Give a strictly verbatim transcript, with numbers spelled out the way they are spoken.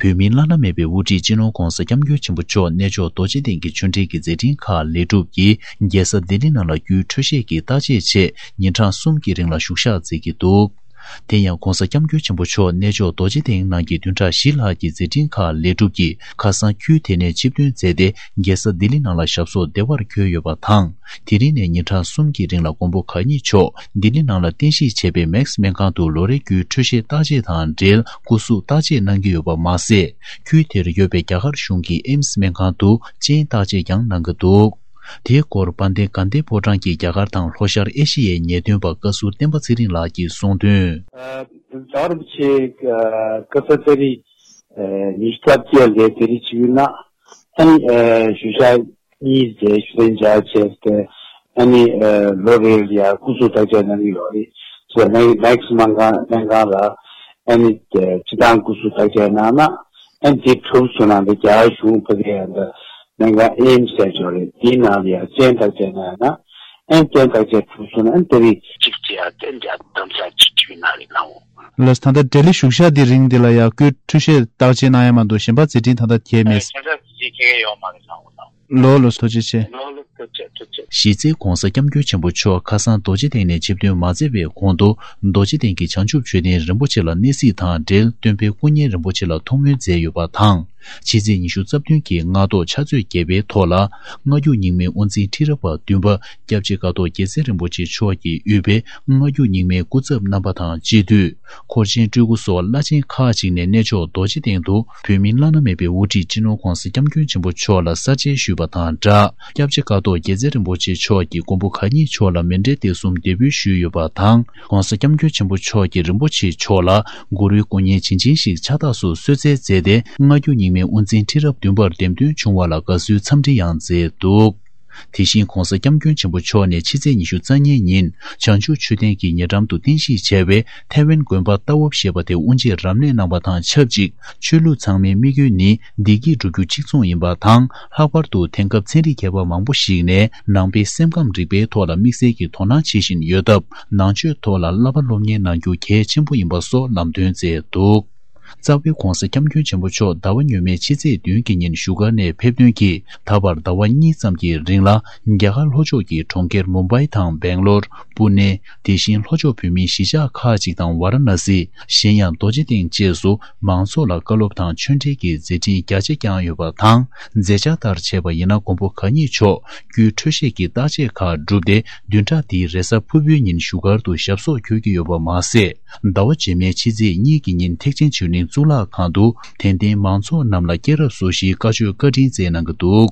བོད་མིའི་བླ་ན་མེད་པའི་དབུ་ཁྲིད་སྤྱི་ནོར་༧གོང་ས་༧སྐྱབས་མགོན་ཆེན་པོ་མཆོག་གནས་མཆོག་རྡོ་རྗེ་གདན་གྱི་ཆོས་འབྲེལ་གྱི་མཛད་འཕྲིན་ཁག་ལེགས་གྲུབ་ཀྱིས་རྒྱལ་ས་ལྡི་ལི་ནང་ལ་རྒྱུའི་འཕྲོད་བཞེས་ཀྱི་བརྟག་དཔྱད་ཆེད་ཉིན་གྲངས་གསུམ་གྱི་རིང་ལ་བཞུགས་ཞག་མཛད་ཀྱི་འདུག་དེ་ཡང་༧གོང་ས་༧སྐྱབས་མགོན་ཆེན་པོ་མཆོག་གནས་མཆོག་རྡོ་རྗེ་གདན་ནང་གི་བདུན་ཕྲག་བཞི་ལྷག་གི་མཛད་འཕྲིན་ཁག་ལེགས་གྲུབ་ཀྱིས་ཁ་སང་ཁུལ་དེ་ནས་ཆིབས་ཐོན་མཛད་དེ་རྒྱལ་ས་ལྡི་ལི་ནང་ལ་ཞབས་སོར་བདེ་བར་འཁོད་ཡོད་པ་དང་། དེ་རིང་ནས་ཉིན་གྲངས་གསུམ་གྱི་རིང་ལ་མགོན་པོ་གང་ཉིད་མཆོག་ལྡི་ལི་ནང་ལ་རྟེན་གཞི་བྱས་པའི་མེག་སི་སྨན་ཁང་དུ་ལོ་རེའི་རྒྱུའི་འཕྲོད་བཞེས་བརྟག་དཔྱད་དང་འབྲེལ་སྐུ་གཟུགས་བརྟག་དཔྱད་གནང་གི་ཡོད་པ་མ་ཟད། ཁུལ་དེར་ཡོད་པའི་རྒྱ་གར་གཞུང་གི་ཨེམ་སི་སྨན་ཁང་དུ་སྤྱན་བརྟག་དཔྱད་ཀྱང་གནང་གི་འདུག་དེའི་སྐོར་དཔལ་ལྡན་དགའ་ལྡན་ཕོ་བྲང་གི་རྒྱ་གར་དང་ལྷོ་ཤར་ཨེ་ཤི་ཡའི་ཉེས་དོན་པ་བཀའ་ཟུར་བསྟན་པ་ཚེ་རིང་ལགས་ཀྱིས་གསུངས་དོན། ཨ། རྫ་རིན་པོ་ཆེ་ཁ་ས་ཏ་རིག་ཉི་ཤུ་རྩ་བརྒྱད་ལ་ཏ་རིག་བཅུ་ནང་ཨ་ནི་ཨ་བཞུགས་ཞག་གཉིས་རེ་ཞུ་དན་འཇགས་བྱས་ཏེ་ཨ་ནི་ཨ་ལོ་རེ་ལ་ཡ་སྐུ་གཟུགས་བརྟག་དཔྱད་གནང་གི་ཡོད་རེད། སོ་མེག་སྨན་ཁང་སྨན་ཁང་ལ་ཨ་ནི་ཨ་སྤྱི་བཏང་སྐུ་གཟུགས་བརྟག་དཔྱད་གནང་ན་ཨ་ནི་དེ་གྲུབ་སོང་ན་འདི་རྒྱ་གར་གཞུང་ཕ་གི་ཡ་འདི་སྨན་ཁང་ཨེམ་སི་ཟེར་ཡོད་རེད། དེའི་ནང་ལ་ཡ་སྤྱན་བརྟག་དཔྱད་གནང་ན་ཨ་ནི་སྤྱན་བརྟག་དཔྱད་གྲུབ་སོང་ན་ཨ་ནི་ཏ་རིག་གཅིག་བྱས་ཡ་ཏན་ཏན་གདམ་ས་གཅིག་བྱས་ནང་ལ་གནང་འོང་། ལགས་སོ། ད་ལྟ་ལྡི་ལི་བཞུགས་ཞག་འདི་རིང་འདི་ལ་ཡང་སྐུའི་འཕྲོད་བཞེས་བརྟག་དཔྱད་གནང་ཡ་མ་གཏོགས་གཞན་པ་མཛད་འཕྲིན་ད་ལྟ་གྱེས་མེད། གཞན་པ་མཛད་འཕྲིན་གྱེས་ཡོད་མ་རེད་ལགས། ལགས་ལགས་སོ། ཐུགས་རྗེ་ཆེ། ལགས་ལགས་ཐུགས་རྗེ་ཆེ། ཐུགས་རྗེ་ཆེ། གཞི་རྩའི་༧གོང་ས་༧སྐྱབས་མགོན་ཆེན་པོ་མཆོག་ཁ་སང་རྡོ་རྗེ་གདན་ནས་ཆིབས་ཐོན་མ་མཛད་པའི་གོང་དུ་རྡོ་རྗེ་གདན་གྱི་བྱང་ཆུབ་མཆོད་རྟེན་རིན་པོ་ཆེ་ལ་གནས་གཟིགས་དང་འབྲེལ་སྟོན་པའི་སྐུ་བརྙན་རིན་པོ་ཆེ་ལ་ཐུགས་སྨོན་མཛད་ཡོད་པ་དང་། ཕྱི་ཚེས་ཉི་ཤུ་རྩ་བདུན་གྱི་སྔ་དྲོ་ཕྱག་ཚོད་བརྒྱད་པའི་ཐོག་ལ། སྔ་འགྱུར་རྙིང་མའི་དབུ་འཛིན་ཁྲི་རབས་པ་བདུན་པ་སྐྱབས་རྗེ་ཀཿཐོག་རྒྱལ་མཚན་རིན་པོ་ཆེ་མཆོག་གིས་དབུས་པའི་སྔ་འགྱུར་རྙིང་མའི་སྐུ་ཚབ་རྣམ་པ་དང་སྤྱི་འཐུས། འཁོར་ཆེན་སྤྲུལ་སྐུ་སོགས་བླ་ཆེན་ཁག་ཅིག་ནས་གནས་མཆོག་རྡོ་རྗེ་གདན་དུ་བོད་མིའི་བླ་ན་མེད་པའི་དབུ་ཁྲིད་སྤྱི་ནོར་༧གོང་ས་༧སྐྱབས་མགོན་ཆེན་པོ་མཆོག་ལ་ས་མཇལ་ཞུས་པ་དང་སྦྲགས། སྐྱབས་རྗེ་ཀཿཐོག་རྒྱལ་མཚན་རིན་པོ་ཆེ་མཆོག་གིས་མགོན་པོ་གང་ཉིད་མཆོག་ལ་མཎྜལ་དེ་གསུམ་འདེགས་འབུལ་ཞུས་ཡོད་པ་དང་། ༸གོང་ས་༸སྐྱབས་མགོན་ཆེན་པོ་མཆོག་གིས་རིན་པོ་ཆེ་མཆོག་ལ་གུ་རུའི་སྐུ་བརྙན་བྱིན་ཅན་ཞིག་ཕྱག་རྟགས་སུ་གསོལ་སྩལ་མཛད་དེ། སྔ་འགྱུར་རྙིང་མའི་དབུ་འཛིན་ཁྲི་རབས་བདུན་པར་འདེམས་ཐོན་བྱུང་བ་ལ་དགའ་བསུའི་འཚམས་འདྲི་ཡང་མཛད་འདུག་དེ་བཞིན་༸གོང་ས་༸སྐྱབས་མགོན་ཆེན་པོ་མཆོག་ནས་ཕྱི་ཚེས་ཉི་ཤུ་རྩ་གཉིས་ཉིན་བྱང་ཆུབ་མཆོད་རྟེན་གྱི་ཉེ་འགྲམ་དུ་རྟེན་གཞི་བྱས་པའི་ཐའེ་ཝན་དགོན་པ་ཏཱ་འོབ་ཞེས་པ་དེ་དབུ་འབྱེད་རབ་གནས་གནང་བ་དང་ཆབས་ཅིག་ཆོས་ལུགས་ཚང་མའི་དམིགས་ཡུལ་ནི་བདེ་སྐྱིད་སྒྲུབ་རྒྱུ་གཅིག་མཚུངས་ཡིན་པ་དང་། ལྷག་པར་དུ་དེང་སྐབས་ཚན་རིག་མཁས་པ་མང་པོ་ཞིག་ནས་ནང་པའི་སེམས་ཁམས་རིག་པའི་ཐོག་ལ་དམིགས་བསལ་གྱི་དོ་སྣང་བྱེད་བཞིན་ཡོད་སྟབས། ནང་ཆོས་ཐོག་ལ་བསླབ་པ་སློབ་གཉེར་གནང་རྒྱུ་གལ་ཆེན་པོ་ཡིན་པ་སོགས་ལམ་སྟོན་མཛད་འདུག་རྩ་བའི་༸གོང་ས་༸སྐྱབས་མགོན་ཆེན་པོ་མཆོག་ཟླ་བ་སྔོན་མའི་ཕྱི་ཚེས་བདུན་གྱི་ཉིན་བཞུགས་སྒར་ནས་ཕེབས་ཐོན་གྱིས། ད་བར་ཟླ་བ་གཉིས་ཙམ་གྱི་རིང་ལ་རྒྱ་གར་ལྷོ་ཕྱོགས་ཀྱི་གྲོང་ཁྱེར་མུམ་བྷའི་དང་སྦེང་ལོར། པུ་ནེ། དེ་བཞིན་ལྷོ་ཕྱོགས་བོད་མིའི་གཞིས་ཆགས་ཁག་ཅིག་དང་ཝཱ་ར་ཎ་སི། གཞན་ཡང་རྡོ་རྗེ་གདན་བཅས་སུ་མང་ཚོགས་ལ་བཀའ་སློབ་དང་ཆོས་འབྲེལ་གྱི་མཛད་འཕྲིན་རྒྱ་ཆེ་བསྐྱངས་ཡོད་པ་དང་། མཛད་འཆར་ལྟར་བྱས་པ་ཡིན་ན་མགོན་པོ་གང་ཉིད་མཆོག་རྒྱུའི་འཕྲོད་བཞེས་ཀྱི་བརྟག་དཔྱད་ཁག་གྲུབ་སྟེ། བདུན་ཕྲག་འདིའི་རེས་གཟའ་ཕུར་བུའི་ཉིན་བཞུགས་སྒར་དུ་ཞབས་སོར་འཁོད་ཀྱི་ཡོད་པ་མ་ཟད། ཟླ་བ་རྗེས་མའི་ཕྱི་ཚེས་གཉིས་ཀྱི་ཉིན་ཐེག་ཆེན་ཆོས་གླིང་གཙུག་ལག་ཁང་དུ་དད་ལྡན་མང་ཚོགས་རྣམས་ལ་སྐྱེས་རབས་སོ་བཞིའི་བཀའ་ཆོས་བཀའ་དྲིན་སྩལ་གནང་གི་འདུག